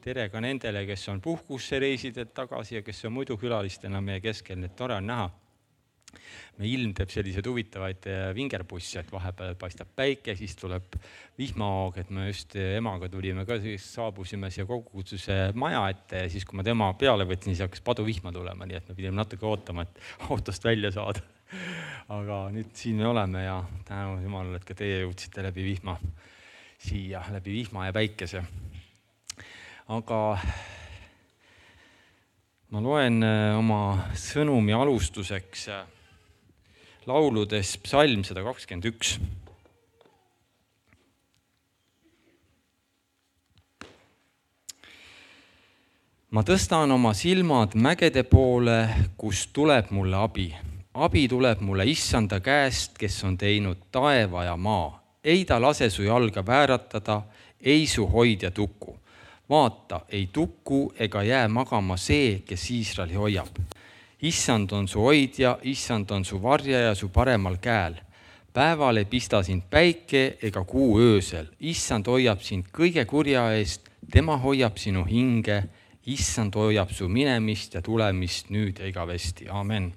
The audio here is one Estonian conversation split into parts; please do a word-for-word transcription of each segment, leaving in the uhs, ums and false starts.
tere ka nendele, kes on puhkusse reisidelt tagasi ja kes on muidu külalistena meie keskel, nii et tore on näha. Me ilm teeb sellised huvitavaid vingerbusse, et vahepeal paistab päike, siis tuleb vihmahoog, et me just emaga tulime ka, siis saabusime siia kogukutsuse maja ette ja siis, kui ma tema peale võtsin, siis hakkas paduvihma tulema, nii et me pidime natuke ootama, et autost välja saada. Aga nüüd siin me oleme ja tänu Jumalale, et ka teie jõudsite läbi vihma siia, läbi vihma ja päikese. Aga ma loen oma sõnumi alustuseks lauludes psalm sada kakskümmend üks. Ma tõstan oma silmad mägede poole, kust tuleb mulle abi. Abi tuleb mulle issanda käest, kes on teinud taeva ja maa. Ei ta lase su jalga vääratada, ei su hoidja tukku. Vaata, ei tukku ega jää magama see, kes Iisraeli hoiab. Issand on su hoidja, issand on su varjaja su paremal käel. Päeval ei pista sind päike ega kuu öösel. Issand hoiab sind kõige kurja eest, tema hoiab sinu hinge. Issand hoiab su minemist ja tulemist nüüd ja igavesti. Amen.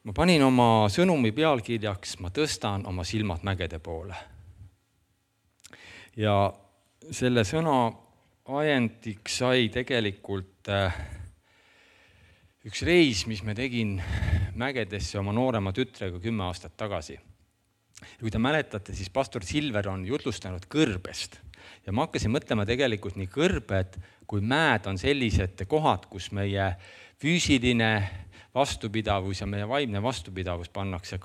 Ma panin oma sõnumi pealkirjaks, ma tõstan oma silmad mägede poole. Ja selle sõna ajendiks sai tegelikult üks reis, mis me tegin mägedesse oma noorema tütrega kümme aastat tagasi. Ja kui te mäletate, siis pastor Silver on jutlustanud kõrbest. Ja ma hakkasin mõtlema tegelikult nii kõrbed kui mäed on sellised kohad, kus meie füüsiline vastupidavus ja meie vaimne vastupidavus pannakse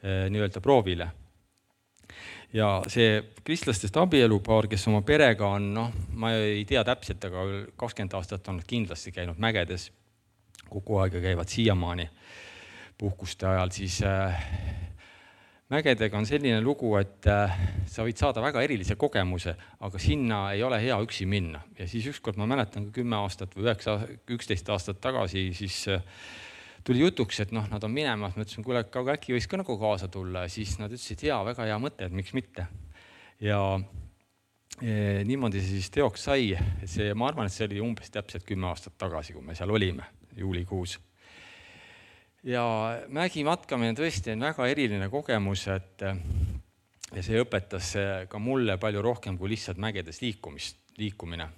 nii-öelda proovile. Ja see kristlastest abielupaar, kes oma perega on, noh, ma ei tea täpselt, aga kakskümmend aastat on kindlasti käinud mägedes, kogu aega käivad siiamaani puhkuste ajal, siis äh, mägedega on selline lugu, et äh, sa võid saada väga erilise kogemuse, aga sinna ei ole hea üksi minna. Ja siis ükskord ma mäletan ka kümme aastat või üksteist aastat tagasi, siis äh, tuli jutuks, et noh, nad on minemas, ma ütlesin, kuule, aga äkki võiks ka nagu kaasa tulla, ja siis nad ütlesid, jaa, väga hea mõte, et miks mitte. Ja e, niimoodi see siis teoks sai, see, ma arvan, et see oli umbes täpselt kümme aastat tagasi, kui me seal olime, juulikuus. Ja mägi matkamine tõesti on väga eriline kogemus, et ja see õpetas ka mulle palju rohkem kui lihtsalt mägedes liikumist, liikumine.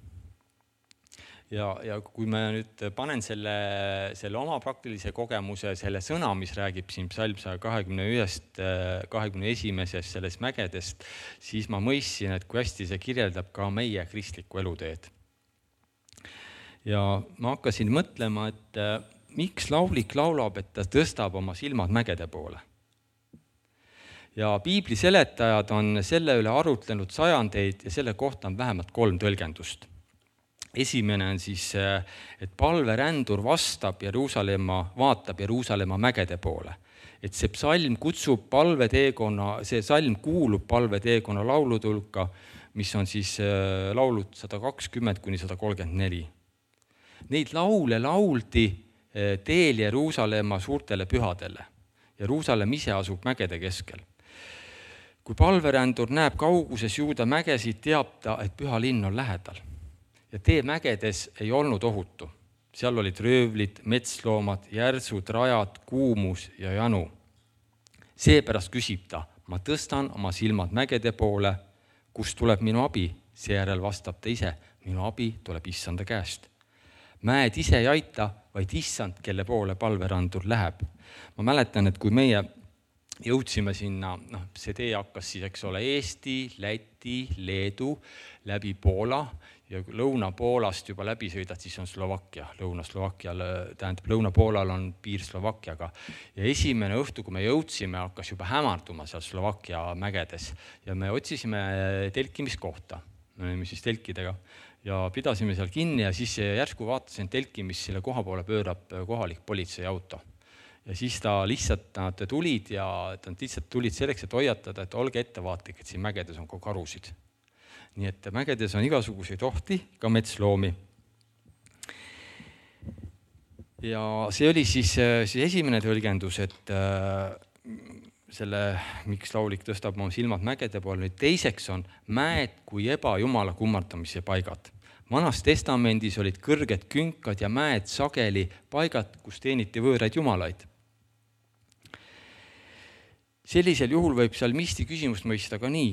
Ja, ja kui ma nüüd panen selle, selle oma praktilise kogemuse, selle sõna, mis räägib siin psalm sada kakskümmend üks, kahekümne esimesest sellest mägedest, siis ma mõistsin, et kui hästi see kirjeldab ka meie kristlikku eluteed. Ja ma hakkasin mõtlema, et miks laulik laulab, et ta tõstab oma silmad mägede poole. Ja piibli seletajad on selle üle arutlenud sajandeid ja selle kohta on vähemalt kolm tõlgendust. Esimene on siis, et palverändur vastab Jeruusalemma, vaatab Jeruusalemma mägede poole. Et see psalm kutsub palveteekonna, see psalm kuulub palveteekonna laulutulka, mis on siis laulud sada kakskümmend kuni sada kolmkümmend neli. Neid laule lauldi teel Jeruusalemma suurtele pühadele. Jeruusalemm ise asub mägede keskel. Kui palverändur näeb kauguses Juuda mägesid, teab ta, et püha linn on lähedal. Ja tee mägedes ei olnud ohutu. Seal olid röövlid, metsloomad, järsud, rajad, kuumus ja janu. Seepärast küsib ta, ma tõstan oma silmad mägede poole, kust tuleb minu abi. Seejärel vastab ta ise, minu abi tuleb issanda käest. Mäed ise ei aita, vaid issand, kelle poole palverandur läheb. Ma mäletan, et kui meie jõudsime sinna, noh, see tee hakkas siis, eks ole, Eesti, Läti, Leedu, läbi Poola ja Lõuna-Poolast juba läbi sõidad, siis on Slovakkia. Lõuna-Slovakkial, tähendab, Lõuna-Poolal on piir Slovakkiaga. Ja esimene õhtu, kui me jõudsime, hakkas juba hämarduma seal Slovakkia mägedes ja me otsisime telkimiskohta. Me olime siis telkidega. Ja pidasime seal kinni ja siis järsku vaatasin telki, mis selle koha poole pöörab kohalik politsei auto. Ja siis ta lihtsalt nad tulid ja nad lihtsalt tulid selleks, et hoiatada, et olge ettevaatlik, et siin mägedes on ka karusid. Nii et mägedes on igasuguseid ohti, ka metsloomi. Ja see oli siis, siis esimene tõlgendus, et selle, miks laulik tõstab oma silmad mägede poole. Nüüd teiseks on mäed kui ebajumala kummardamise paigad. Vanas testamendis olid kõrged künkad ja mäed sageli paigad, kus teeniti võõraid jumalaid. Sellisel juhul võib salmisti küsimust mõista ka nii,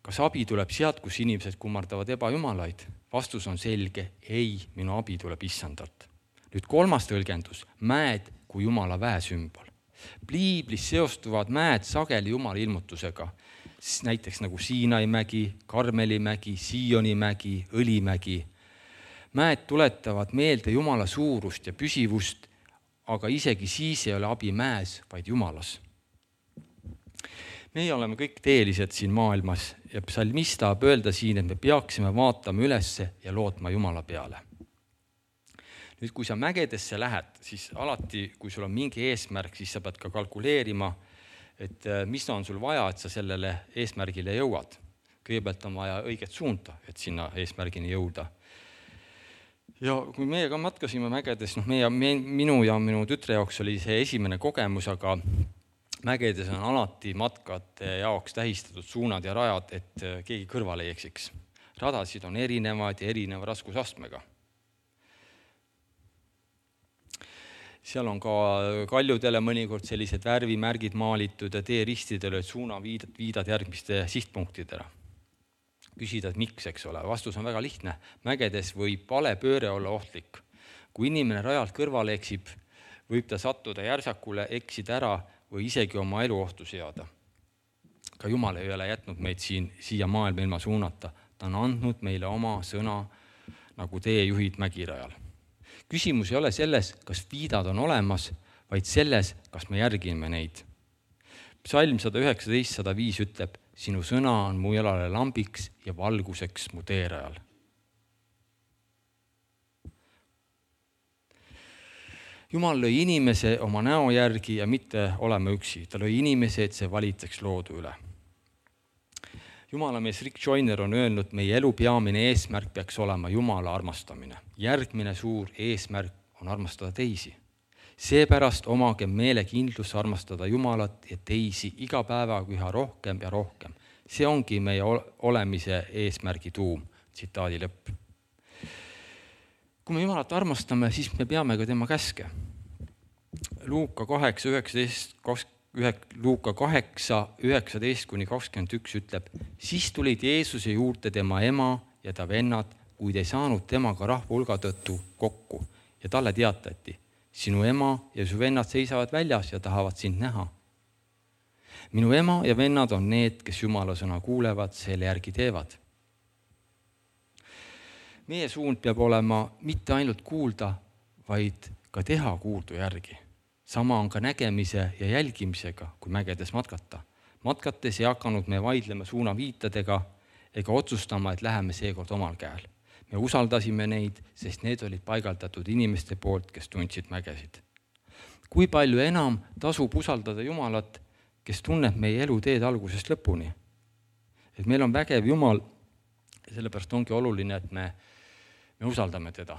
kas abi tuleb sealt, kus inimesed kummardavad ebajumalaid? Vastus on selge, ei, minu abi tuleb issandalt. Nüüd kolmas tõlgendus, mäed kui jumala väesümbol. Piiblis seostuvad mäed sageli jumala ilmutusega, näiteks nagu Siinai mägi, Karmeli mägi, Sioni mägi, Õlimägi. Mäed tuletavad meelde jumala suurust ja püsivust, aga isegi siis ei ole abi mäes, vaid jumalas. Meie oleme kõik teelised siin maailmas ja psalmist tahab öelda siin, et me peaksime vaatama ülesse ja lootma jumala peale. Nüüd, kui sa mägedesse lähed, siis alati, kui sul on mingi eesmärk, siis sa pead ka kalkuleerima, et mis on sul vaja, et sa sellele eesmärgile jõuad. Kõigepealt on vaja õiget suunta, et sinna eesmärgini jõuda. Ja kui meie ka matkasime mägedes, noh, meie, minu ja minu tütre jaoks oli see esimene kogemus, aga mägedes on alati matkate jaoks tähistatud suunad ja rajad, et keegi kõrvale ei eksiks. Radasid on erinevad ja erineva raskusastmega. Seal on ka kaljudele mõnikord sellised värvimärgid maalitud ja teeristidele, et suuna viidad, viidad järgmiste sihtpunktidele. Küsida, et miks, eks ole. Vastus on väga lihtne. Mägedes võib vale pööre olla ohtlik. Kui inimene rajalt kõrvale eksib, võib ta sattuda järsakule, eksida ära või isegi oma elu ohtu seada. Ka Jumal ei ole jätnud meid siin, siia maailma ilma suunata. Ta on andnud meile oma sõna, nagu teejuhid mägirajal. Küsimus ei ole selles, kas viidad on olemas, vaid selles, kas me järgime neid. Psalm sada üheksateist sada viis ütleb, sinu sõna on mu jalale lambiks ja valguseks mu teerajal. Jumal lõi inimese oma näo järgi ja mitte olema üksi. Ta lõi inimese, et see valitseks loodu üle. Jumalamees Rick Joyner on öelnud, meie elu peamine eesmärk peaks olema Jumala armastamine. Järgmine suur eesmärk on armastada teisi. Seepärast omage meelekindlus armastada Jumalat ja teisi iga päevaga üha rohkem ja rohkem. See ongi meie olemise eesmärgi tuum, tsitaadi lõpp. Kui me Jumalat armastame, siis me peame ka tema käske. Luuka kaheksa, üheksateist, Luuka kaheksa, üheksateist kuni kakskümmend üks ütleb, siis tulid Jeesuse juurde tema ema ja ta vennad, kuid ei saanud temaga rahvahulga tõttu kokku ja talle teatati, sinu ema ja su vennad seisavad väljas ja tahavad sind näha. Minu ema ja vennad on need, kes Jumala sõna kuulevad, selle järgi teevad. Meie suund peab olema mitte ainult kuulda, vaid ka teha kuuldu järgi. Sama on ka nägemise ja jälgimisega, kui mägedes matkata. Matkates ei hakanud me vaidlema suunaviitadega ega otsustama, et läheme seekord omal käel. Me usaldasime neid, sest need olid paigaldatud inimeste poolt, kes tundsid mägesid. Kui palju enam tasub usaldada Jumalat, kes tunneb meie eluteed algusest lõpuni? Et meil on vägev Jumal ja sellepärast ongi oluline, et me, me usaldame teda.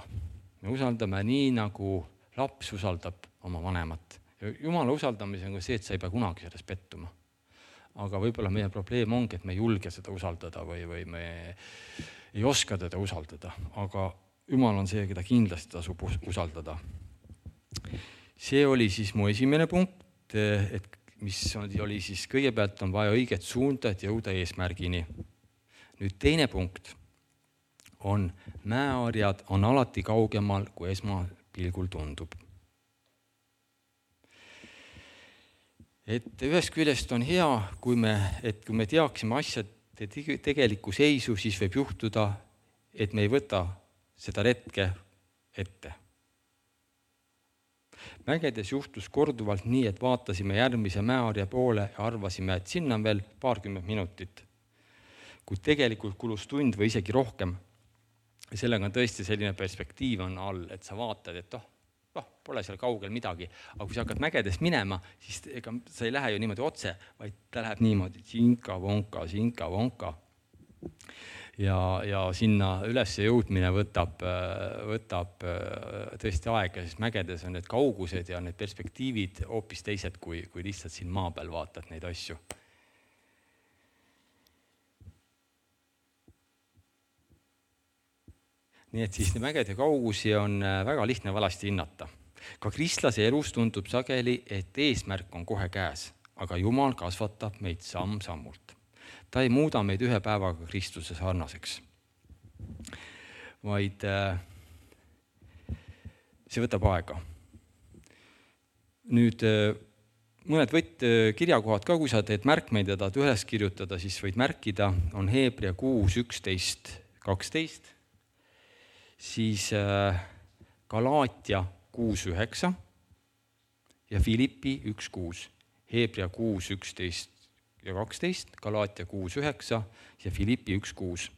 Me usaldame nii, nagu laps usaldab oma vanemat. Jumala usaldamise on see, et sa ei pea kunagi sellest pettuma. Aga võib-olla meie probleem ongi, et me ei julge seda usaldada või, või me ei oska teda usaldada. Aga Jumal on see, keda kindlasti tasub usaldada. See oli siis mu esimene punkt, et mis oli siis kõigepealt on vaja õiget suunda, et jõuda eesmärgini. Nüüd teine punkt on mäeharjad on alati kaugemal, kui esmapilgul tundub. Et ühest küljest on hea, kui me, et kui me teaksime asjade tegelikku seisu, siis võib juhtuda, et me ei võta seda retke ette. Mägedes juhtus korduvalt nii, et vaatasime järgmise mäeharja poole ja arvasime, et sinna on veel paarkümmend minutit. Kuid tegelikult kulus tund või isegi rohkem. Ja sellega on tõesti selline perspektiiv on all, et sa vaatad, et oh, oh, pole seal kaugel midagi. Aga kui sa hakkad mägedes minema, siis ega sa ei lähe ju niimoodi otse, vaid ta läheb niimoodi, sinka, vonka, sinka, vonka. ja, ja sinna üles jõudmine võtab, võtab tõesti aega, sest mägedes on need kaugused ja need perspektiivid hoopis teised, kui, kui lihtsalt siin maa peal vaatad neid asju. Nii et siis mägede kaugusi on väga lihtne valasti hinnata. Ka kristlase elus tundub sageli, et eesmärk on kohe käes, aga Jumal kasvatab meid samm-sammult. Ta ei muuda meid ühe päevaga Kristuse sarnaseks, vaid see võtab aega. Nüüd mõned võtt kirjakohad ka, kui sa teed märkmeid ja tahad üles kirjutada, siis võid märkida, on Hebra kuus, üksteist, kaksteist, siis Galaatia kuus, üheksa ja Filippi üks, kuus. Hebra kuus, üksteist ja kaksteist, Galaatia kuus, üheksa ja Filippi üks, kuus.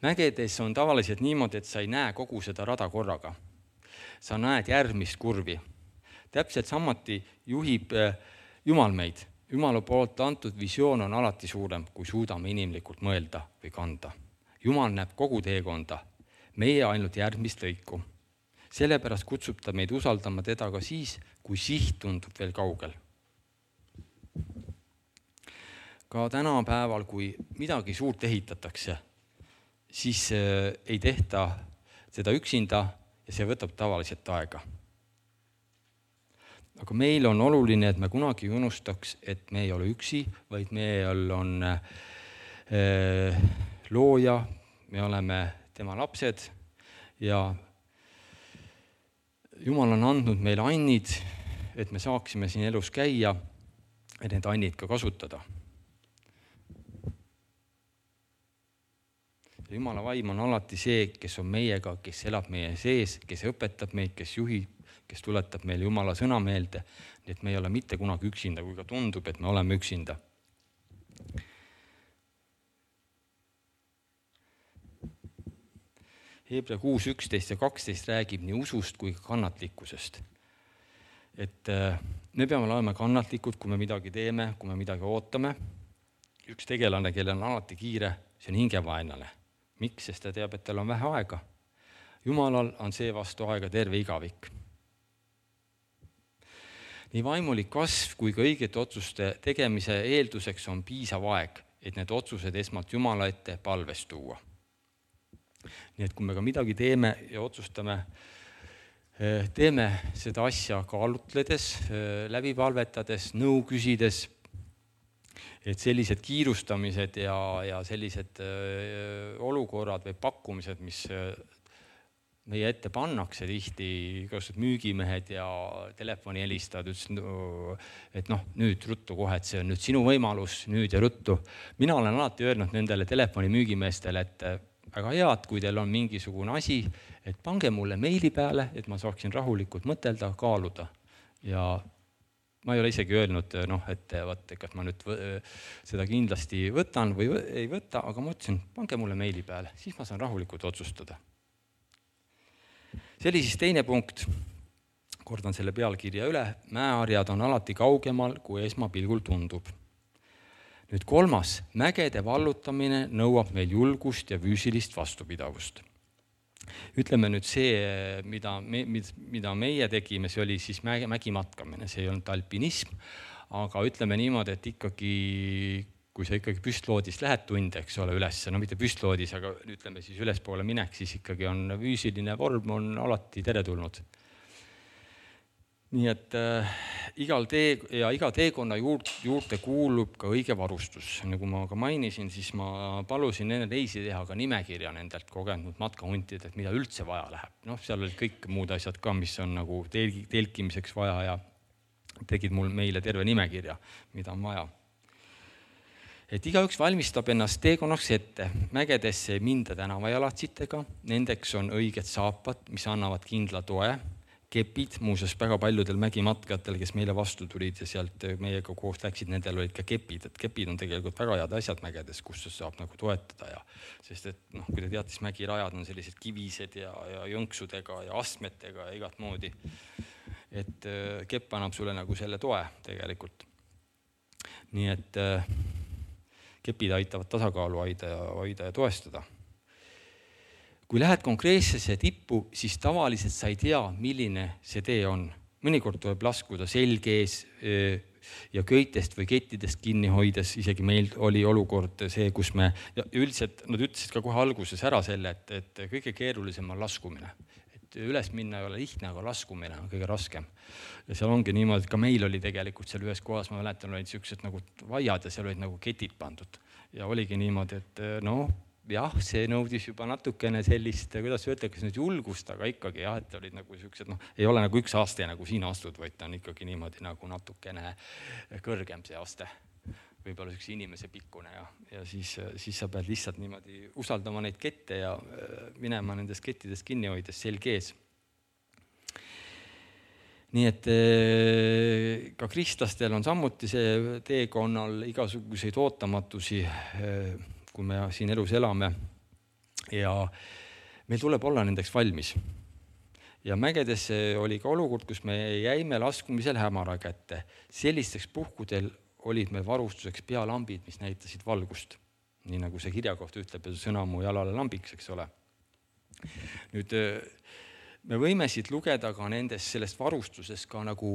Mägedes on tavaliselt niimoodi, et sa ei näe kogu seda rada korraga. Sa näed järgmist kurvi. Täpselt samuti juhib Jumal meid. Jumala poolt antud visioon on alati suurem, kui suudame inimlikult mõelda või kanda. Jumal näeb kogu teekonda, meie ainult järgmist lõiku. Sellepärast kutsub ta meid usaldama teda ka siis, kui siht tundub veel kaugel. Ka tänapäeval, kui midagi suurt ehitatakse, siis ei tehta seda üksinda ja see võtab tavaliselt aega. Aga meil on oluline, et me kunagi unustaks, et me ei ole üksi, vaid meil on äh, looja, me oleme tema lapsed ja Jumal on andnud meile annid, et me saaksime siin elus käia ja need annid ka kasutada. Jumala vaim on alati see, kes on meiega, kes elab meie sees, kes õpetab meid, kes juhib, kes tuletab meile Jumala sõna meelde, nii et me ei ole mitte kunagi üksinda, kui ka tundub, et me oleme üksinda. Hebra kuus, üksteist ja kaksteist räägib nii usust kui ka kannatlikkusest. Et me peame olema kannatlikud, kui me midagi teeme, kui me midagi ootame. Üks tegelane, kellel on alati kiire, see on hingevaenlane. Miks? Sest ta teab, et tal on vähe aega. Jumalal on see vastu aega terve igavik. Nii vaimulik kasv kui ka õigete otsuste tegemise eelduseks on piisav aeg, et need otsused esmalt Jumala ette palves tuua. Nii et kui me ka midagi teeme ja otsustame, teeme seda asja kaalutledes, läbi palvetades, nõu küsides, et sellised kiirustamised ja, ja sellised olukorrad või pakkumised, mis meie ette pannakse tihti, igasugused müügimehed ja telefoni helistad, et noh, nüüd ruttu kohe, et see on nüüd sinu võimalus, nüüd ja ruttu. Mina olen alati öelnud nendele telefoni müügimeestele, et väga head, kui teil on mingisugune asi, et pange mulle meili peale, et ma saaksin rahulikult mõtelda, kaaluda. Ja ma ei ole isegi öelnud, noh, et vaat, kas ma nüüd seda kindlasti võtan või ei võta, aga ma ütlesin, pange mulle meili peale, siis ma saan rahulikult otsustada. See oli siis teine punkt, kordan selle pealkirja üle, mäeharjad on alati kaugemal, kui esmapilgul tundub. Nüüd kolmas, mägede vallutamine nõuab meil julgust ja füüsilist vastupidavust. Ütleme nüüd see, mida, me, mida meie tegime, see oli siis mägimatkamine, see ei olnud alpinism, aga ütleme niimoodi, et ikkagi, kui sa ikkagi püstloodist lähed tunde, eks ole, üles, no mitte püstloodis, aga ütleme siis ülespoole minek, siis ikkagi on füüsiline vorm on alati teretulnud. Nii et äh, igal tee, ja iga teekonna juurde, juurde kuulub ka õige varustus. Nagu ma ka mainisin, siis ma palusin nende reisi teha ka nimekirja nendelt kogenud matkahuntidelt, mida üldse vaja läheb. Noh, seal olid kõik muud asjad ka, mis on nagu telkimiseks vaja ja tegid mul meile terve nimekirja, mida on vaja. Et igaüks valmistab ennast teekonnaks ette. Mägedesse ei minda tänavajalatsitega, nendeks on õiged saapad, mis annavad kindla toe. Kepid, muuseas väga paljudel mägimatkajatel, kes meile vastu tulid ja sealt meiega koos läksid, nendel olid ka kepid, et kepid on tegelikult väga head asjad mägedes, kus saab nagu toetada ja sest et noh, kui te teate, siis mägirajad on sellised kivised ja, ja jõnksudega ja astmetega ja igat moodi, et kepp annab sulle nagu selle toe tegelikult. Nii et kepid aitavad tasakaalu hoida ja, hoida ja toestada. Kui lähed konkreetsesse tippu, siis tavaliselt sa ei tea, milline see tee on. Mõnikord tuleb laskuda selge ees ja köitest või kettidest kinni hoides, isegi meil oli olukord see, kus me, ja üldiselt nad ütlesid ka kohe alguses ära selle, et, et kõige keerulisem on laskumine. Et üles minna ei ole lihtne, aga laskumine on kõige raskem. Ja seal ongi niimoodi, et ka meil oli tegelikult seal ühes kohas, ma mäletan, olid sellised nagu vaiad ja seal olid nagu ketid pandud. Ja oligi niimoodi, et noh, jah, see nõudis juba natukene sellist, kuidas öelda, kas nüüd julgust, aga ikkagi jah, et olid nagu sellised, noh, ei ole nagu üks aste nagu siin astud, vaid ta on ikkagi niimoodi nagu natukene kõrgem see aste. Võib-olla üks inimese pikkune ja, ja siis, siis sa pead lihtsalt niimoodi usaldama neid kette ja minema nendest kettidest kinni hoides selge ees. Nii et ka kristlastel on samuti see teekonnal igasuguseid ootamatusi, kui me siin elus elame ja meil tuleb olla nendeks valmis. Ja mägedes oli ka olukord, kus me jäime laskumisel hämara kätte. Sellisteks puhkudel olid meil varustuseks pealambid, mis näitasid valgust. Nii nagu see kirja kohta ütleb ja sõna mu jalale lambiks, eks ole. Nüüd me võime siit lugeda ka nendest sellest varustusest ka nagu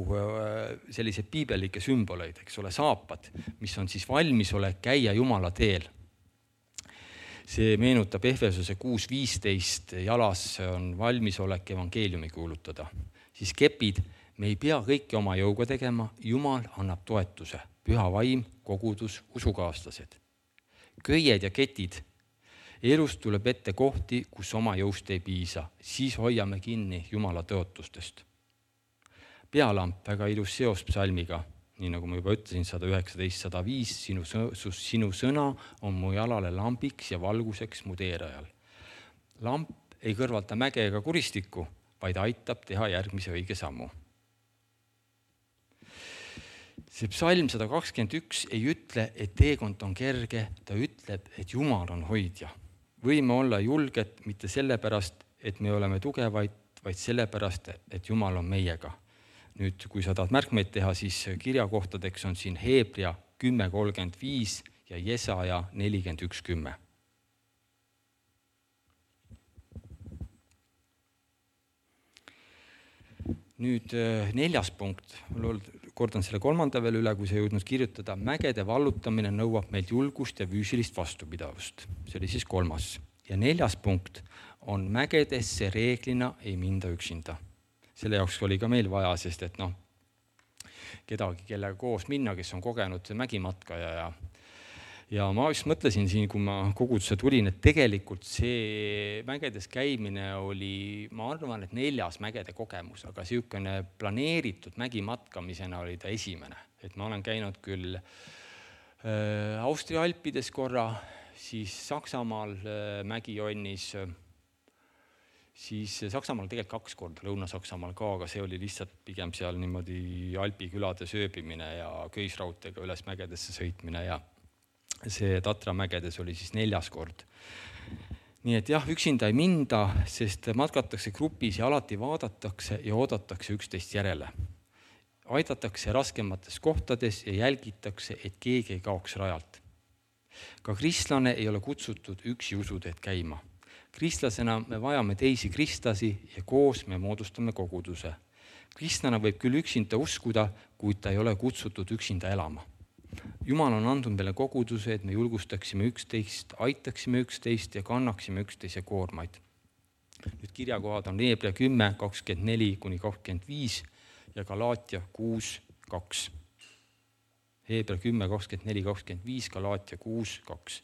sellised piibelike sümboleid, eks ole, saapad, mis on siis valmisolek käia Jumala teel. See meenutab Efesose kuus viisteist, jalas on valmisolek evangeeliumi kuulutada. Siis kepid, me ei pea kõike oma jõuga tegema, Jumal annab toetuse, püha vaim, kogudus, usukaaslased. Köied ja ketid, elust tuleb ette kohti, kus oma jõust ei piisa, siis hoiame kinni Jumala tõotustest. Pealamp, väga ilus seos psalmiga, nii nagu ma juba ütlesin, sada üheksateist sada viis, sinu, sinu sõna on mu jalale lambiks ja valguseks mu teerajal. Lamp ei kõrvalta mäge ega kuristikku, vaid aitab teha järgmise õige sammu. See psalm sada kakskümmend üks ei ütle, et teekond on kerge, ta ütleb, et Jumal on hoidja. Võime olla julged mitte sellepärast, et me oleme tugevaid, vaid sellepärast, et Jumal on meiega. Nüüd, kui sa tahad märkmeid teha, siis kirjakohtadeks on siin Heebria kümme kolmkümmend viis ja Jesaja nelikümmend üks kümme. Nüüd neljas punkt, kordan selle kolmanda veel üle, kui sa jõudnud kirjutada. Mägede vallutamine nõuab meilt julgust ja füüsilist vastupidavust. See oli siis kolmas. Ja neljas punkt on mägedesse reeglina ei minda üksinda. Selle jaoks oli ka meil vaja, sest et noh, kedagi, kellega koos minna, kes on kogenud mägimatkaja ja Ja ma just mõtlesin siin, kui ma kogudusse tulin, et tegelikult see mägedes käimine oli, ma arvan, et neljas mägede kogemus, aga siukene planeeritud mägimatkamisena oli ta esimene. Et ma olen käinud küll äh, Austria Alpides korra, siis Saksamaal äh, mägijonnis, siis Saksamaal tegelikult kaks korda, Lõuna-Saksamaal ka, aga see oli lihtsalt pigem seal niimoodi Alpikülade sööbimine ja köisrautega üles mägedesse sõitmine ja see Tatra mägedes oli siis neljas kord. Nii et jah, üksinda ei minda, sest matkatakse grupis ja alati vaadatakse ja oodatakse üksteist järele. Aidatakse raskemates kohtades ja jälgitakse, et keegi ei kaoks rajalt. Ka kristlane ei ole kutsutud üksi usuteed käima. Kristlasena me vajame teisi kristlasi ja koos me moodustame koguduse. Kristlane võib küll üksinda uskuda, kuid ta ei ole kutsutud üksinda elama. Jumal on andnud meile koguduse, et me julgustaksime üksteist, aitaksime üksteist ja kannaksime üksteise koormaid. Nüüd kirjakohad on Heebria kümme kakskümmend neli kuni kakskümmend viis ja Galaatia kuus kaks. Heebria kümme kakskümmend neli kakskümmend viis, Galaatia kuus kaks.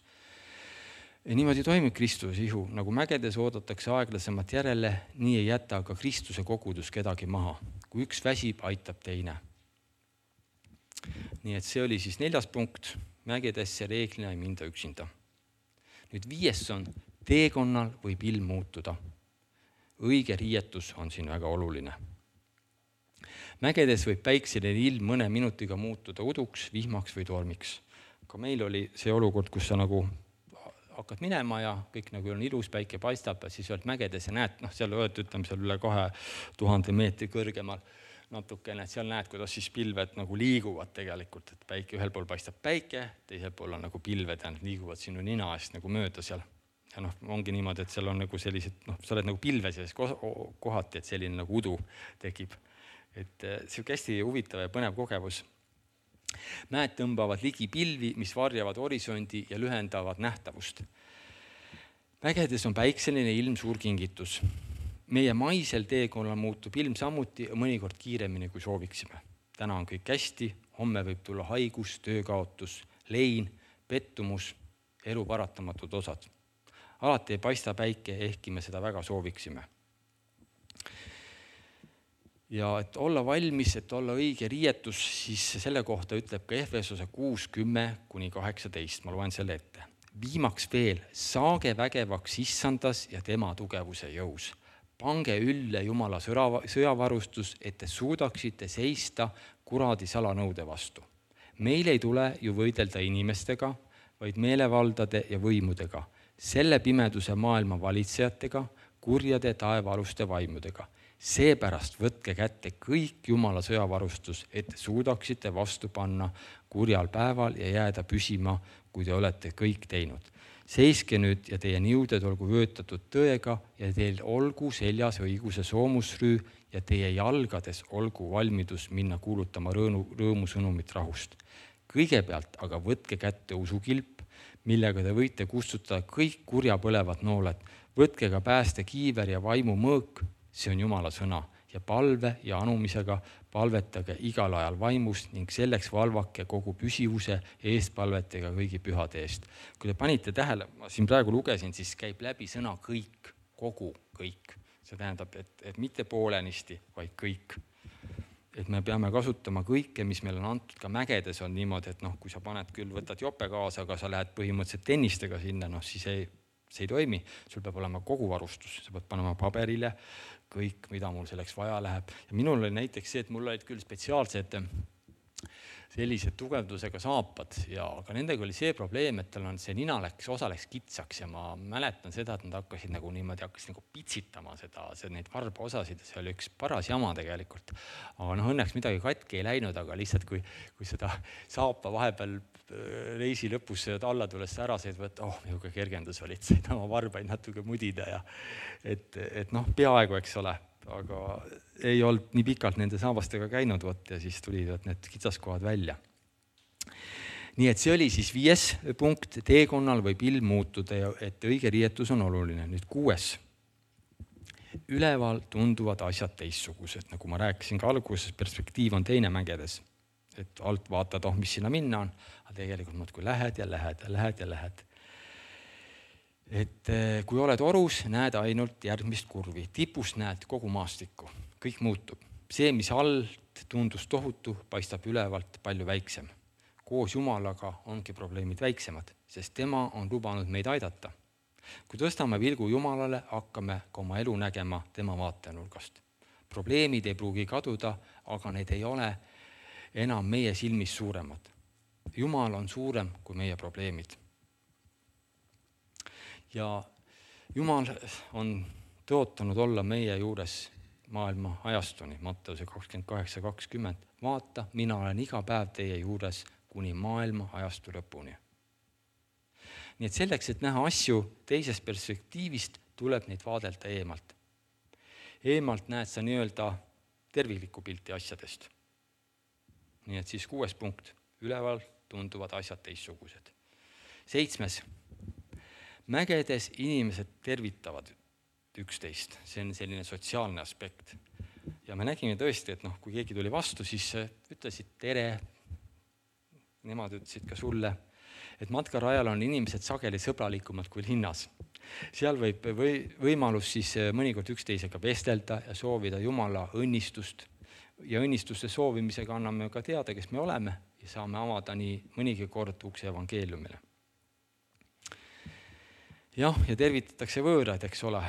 Ja niimoodi toimib Kristuse ihu. Nagu mägedes oodatakse aeglasemat järele, nii ei jäta aga Kristuse kogudus kedagi maha. Kui üks väsib, aitab teine. Nii et see oli siis neljas punkt, mägedesse reeglina ei minda üksinda. Nüüd viies on, teekonnal võib ilm muutuda. Õige riietus on siin väga oluline. Mägedes võib päikseline ilm mõne minutiga muutuda uduks, vihmaks või tormiks. Ka meil oli see olukord, kus sa nagu hakkad minema ja kõik nagu on ilus, päike paistab ja siis oled mägedes ja näed, noh seal oled, ütleme seal üle kahe tuhande meetri kõrgemal. natukene, et seal näed, kuidas siis pilved nagu liiguvad tegelikult, et päike, ühel pool paistab päike, teisel pool on nagu pilved ja nad liiguvad sinu nina eest nagu mööda seal. Ja noh, ongi niimoodi, et seal on nagu sellised, noh, sa oled nagu pilve selles kohati, et selline nagu udu tekib. Et see on hästi huvitav ja põnev kogemus. Mäed tõmbavad ligi pilvi, mis varjavad horisondi ja lühendavad nähtavust. Mägedes on päikseline ilm suur kingitus. Meie maisel teekonnal muutub ilm samuti mõnikord kiiremini, kui sooviksime. Täna on kõik hästi, homme võib tulla haigus, töökaotus, lein, pettumus, elu paratamatud osad. Alati ei paista päike, ehkki me seda väga sooviksime. Ja et olla valmis, et olla õige riietus, siis selle kohta ütleb ka Efesose kuus kümme kuni kaheksateist. Ma loen selle ette. Viimaks veel, saage vägevaks issandas ja tema tugevuse jõus. Pange ülle Jumala sõjavarustus, et te suudaksite seista kuradi salanõude vastu. Meil ei tule ju võidelda inimestega, vaid meelevaldade ja võimudega, selle pimeduse maailma valitsejatega, kurjade taevaaluste vaimudega. Seepärast võtke kätte kõik Jumala sõjavarustus, et te suudaksite vastu panna kurjal päeval ja jääda püsima, kui te olete kõik teinud. Seiske nüüd ja teie niuded olgu vöötatud tõega ja teil olgu seljas õiguse soomusrüü ja teie jalgades olgu valmidus minna kuulutama rõõmu, rõõmusõnumit rahust. Kõigepealt aga võtke kätte usukilp, millega te võite kustutada kõik kurja põlevad nooled. Võtke ka pääste kiiver ja vaimu mõõk, see on Jumala sõna, ja palve ja anumisega palvetage igal ajal vaimust ning selleks valvake kogu püsivuse eestpalvetega kõigi pühade eest. Kui te panite tähele, ma siin praegu lugesin, siis käib läbi sõna kõik, kogu kõik. See tähendab, et, et mitte poolenisti, vaid kõik. Et me peame kasutama kõike, mis meil on antud, ka mägedes on niimoodi, et noh, kui sa paned küll, võtad jope kaasa, aga sa lähed põhimõtteliselt tennistega sinna, noh siis ei, see ei toimi. Sul peab olema kogu varustus, sa pead panema paberile kõik, mida mul selleks vaja läheb. Ja minul oli näiteks see, et mul olid küll spetsiaalsed sellised tugevdusega saapad, ja aga nendega oli see probleem, et tal on see nina läks, osa läks kitsaks ja ma mäletan seda, et nad hakkasid nagu niimoodi, hakkasid nagu pitsitama seda, see, neid varba osasid, see oli üks paras jama tegelikult. Aga noh, õnneks midagi katki ei läinud, aga lihtsalt kui, kui seda saapa vahepeal reisi lõpus alla tulles ära said, et oh, niisugune kergendus olid, said oma varbaid natuke mudida ja et, et noh, peaaegu, eks ole, aga ei olnud nii pikalt nende saabastega käinud võt, ja siis tulid need kitsaskohad välja. Nii et see oli siis viies punkt, teekonnal võib ilm muutuda, et õige riietus on oluline. Nüüd kuues. Üleval tunduvad asjad teissugused, nagu ma rääkisin ka alguses, perspektiiv on teine mägedes. Et alt vaatad, oh, mis sinna minna on, aga tegelikult muud, kui lähed ja lähed ja lähed ja lähed. Et kui oled orus, näed ainult järgmist kurvi. Tipust näed kogu maastikku. Kõik muutub. See, mis alt tundus tohutu, paistab ülevalt palju väiksem. Koos Jumalaga ongi probleemid väiksemad, sest tema on lubanud meid aidata. Kui tõstame vilgu Jumalale, hakkame ka oma elu nägema tema vaatenurgast. Probleemid ei pruugi kaduda, aga need ei ole enam meie silmis suuremad. Jumal on suurem kui meie probleemid. Ja Jumal on tõotanud olla meie juures maailma ajastuni, Matteuse kakskümmend kaheksa kakskümmend. Vaata, mina olen iga päev teie juures kuni maailma ajastu lõpuni. Nii et selleks, et näha asju teisest perspektiivist, tuleb neid vaadelda eemalt. Eemalt näed sa nii-öelda terviklikku pilti asjadest. Nii et siis kuues punkt. Üleval tunduvad asjad teissugused. Seitsmes. Mägedes inimesed tervitavad üksteist. See on selline sotsiaalne aspekt. Ja me nägime tõesti, et noh, kui keegi tuli vastu, siis ütlesid tere. Nemad ütlesid ka sulle, et matkarajal on inimesed sageli sõbralikumad kui linnas. Seal võib või, võimalus siis mõnikord üksteisega vestelda ja soovida Jumala õnnistust. Ja õnnistuste soovimisega anname ka teada, kes me oleme ja saame avada nii mõnigi kord ukse evangeeliumile. Jah, ja tervitatakse võõraid, eks ole.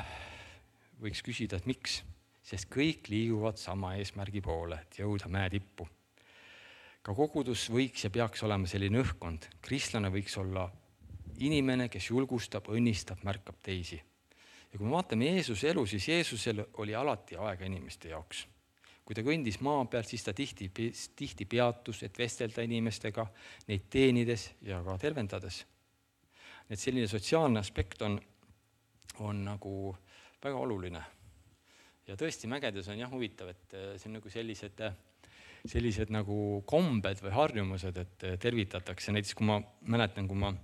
Võiks küsida, et miks? Sest kõik liiguvad sama eesmärgi poole, et jõuda mäe tippu. Ka kogudus võiks ja peaks olema selline õhkkond. Kristlane võiks olla inimene, kes julgustab, õnnistab, märkab teisi. Ja kui me vaatame Jeesuse elu, siis Jeesusel oli alati aega inimeste jaoks. kui ta kõndis maa peal, siis ta tihti, tihti peatus, et vestelda inimestega, neid teenides ja ka tervendades. Et selline sotsiaalne aspekt on, on nagu väga oluline. Ja tõesti mägedes on jah huvitav, et see on nagu sellised, sellised nagu kombed või harjumused, et tervitatakse. Näiteks kui ma mäletan, kui ma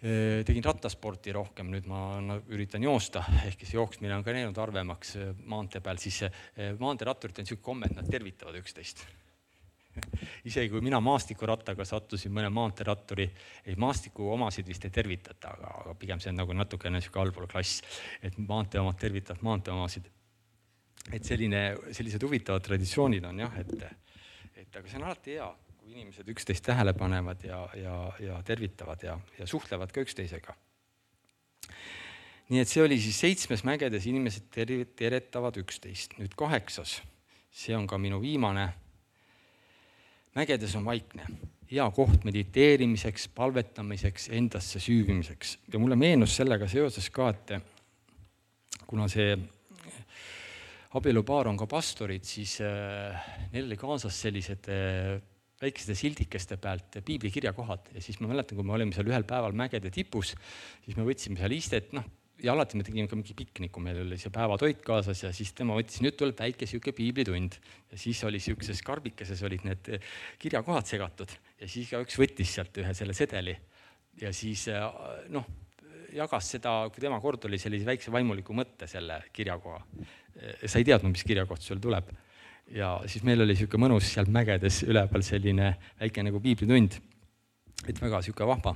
tegin rattasporti rohkem, nüüd ma üritan joosta, ehk see jooksmine on ka näinud arvemaks maantee peal, siis maanteeratturid on selline komme, et nad tervitavad üksteist. Isegi kui mina maastikurattaga sattusin mõne maanteeratturi, ei maastiku omasid vist ei tervitata, aga, aga pigem see on nagu natukene niisugune allpool klass, et maantee omad tervitavad maantee omasid. Et selline, sellised huvitavad traditsioonid on jah, et, et aga see on alati hea, kui inimesed üksteist tähele panevad ja, ja, ja tervitavad ja, ja suhtlevad ka üksteisega. Nii et see oli siis seitsmes mägedes, inimesed ter- teretavad üksteist. Nüüd kaheksas, see on ka minu viimane. Mägedes on vaikne, hea koht mediteerimiseks, palvetamiseks, endasse süüvimiseks. Ja mulle meenus sellega seoses ka, et kuna see abielupaar on ka pastorid, siis neil oli kaasas sellised väikeste sildikeste pealt piiblikirjakohad. Ja siis ma mäletan, kui me olime seal ühel päeval mägede tipus, siis me võtsime seal istet, noh, ja alati me tegime ka mingi pikniku, meil oli see päevatoit kaasas ja siis tema võttis, nüüd tuleb väike siuke piiblitund. Ja siis oli siukeses karbikeses olid need kirjakohad segatud ja siis ka üks võttis sealt ühe selle sedeli ja siis noh, jagas seda, kui tema kord oli sellise väikse vaimuliku mõtte selle kirjakoha. Sa ei teadnud, mis kirjakoht sul tuleb. Ja siis meil oli siuke mõnus seal mägedes üleval selline väike nagu piiblitund, et väga siuke vahva.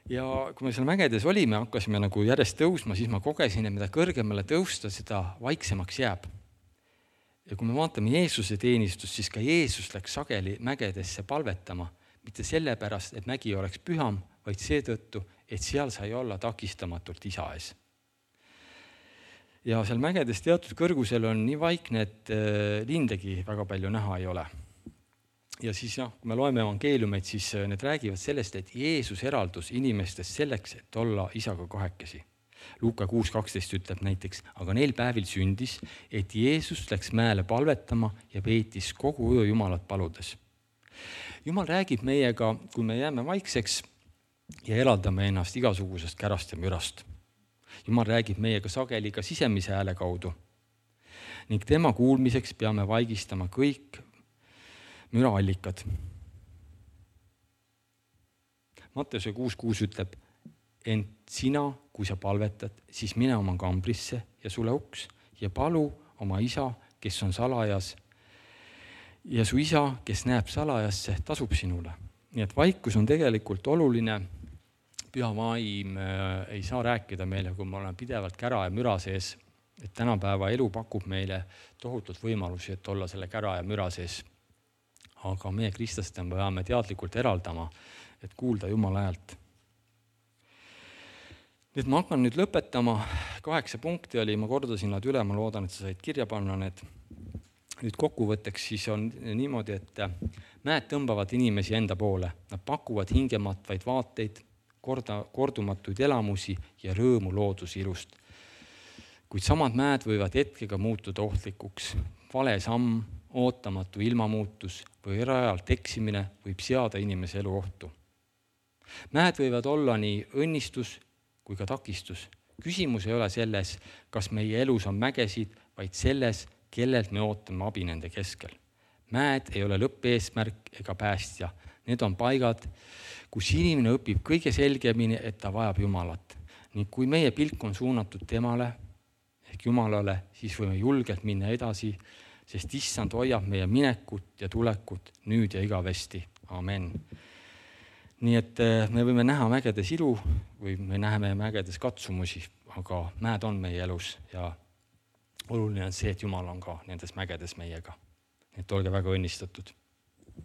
Ja kui me seal mägedes olime, hakkasime nagu järjest tõusma, siis ma kogesin, et mida kõrgemale tõusta, seda vaiksemaks jääb. Ja kui me vaatame Jeesuse teenistust, siis ka Jeesus läks sageli mägedesse palvetama, mitte sellepärast, et mägi oleks püham, vaid seetõttu, et seal sai olla takistamatult isa ees. Ja seal mägedes teatud kõrgusel on nii vaikne, et lindegi väga palju näha ei ole. Ja siis jah, kui me loeme evangeeliumeid, siis need räägivad sellest, et Jeesus eraldus inimestest selleks, et olla isaga kahekesi. Luuka kuus kaksteist ütleb näiteks, aga neil päevil sündis, et Jeesus läks mäele palvetama ja veetis kogu öö Jumalat paludes. Jumal räägib meiega, kui me jääme vaikseks ja eraldame ennast igasugusest kärast ja mürast. Jumal räägib meiega sageli ka sisemise hääle kaudu. Ning tema kuulmiseks peame vaigistama kõik müraallikad. Matteuse kuus kuus ütleb, ent sina, kui sa palvetad, siis mine oma kambrisse ja sule uks ja palu oma isa, kes on salajas. Ja su isa, kes näeb salajasse, tasub sinule. Nii et vaikus on tegelikult oluline. Püha vaim ei saa rääkida meile, kui me oleme pidevalt kära ja müra sees, et tänapäeva elu pakub meile tohutult võimalusi, et olla selle kära ja müra sees. Aga meie kristlaste peame teadlikult eraldama, et kuulda Jumala häält. Nüüd ma hakkan nüüd lõpetama. Kaheksa punkti oli, ma kordasin nad üle, ma loodan, et sa said kirja panna need. Nüüd kokkuvõtteks siis on niimoodi, et mäed tõmbavad inimesi enda poole. Nad pakuvad hingematvaid vaateid, korda, kordumatuid elamusi ja rõõmu looduse ilust. Kuid samad mäed võivad hetkega muutuda ohtlikuks. Vale samm, ootamatu ilmamuutus või rajalt eksimine võib seada inimese elu ohtu. Mäed võivad olla nii õnnistus kui ka takistus. Küsimus ei ole selles, kas meie elus on mägesid, vaid selles, kellelt me ootame abi nende keskel. Mäed ei ole lõppeesmärk ega päästja. Need on paigad, kus inimene õpib kõige selgemini, et ta vajab Jumalat. Ning kui meie pilk on suunatud temale ehk Jumalale, siis võime julgelt minna edasi, sest issand hoiab meie minekut ja tulekut nüüd ja igavesti. Amen. Nii et me võime näha mägedes ilu või me näeme mägedes katsumusi, aga mäed on meie elus ja oluline on see, et Jumal on ka nendes mägedes meiega. Et olge väga õnnistatud.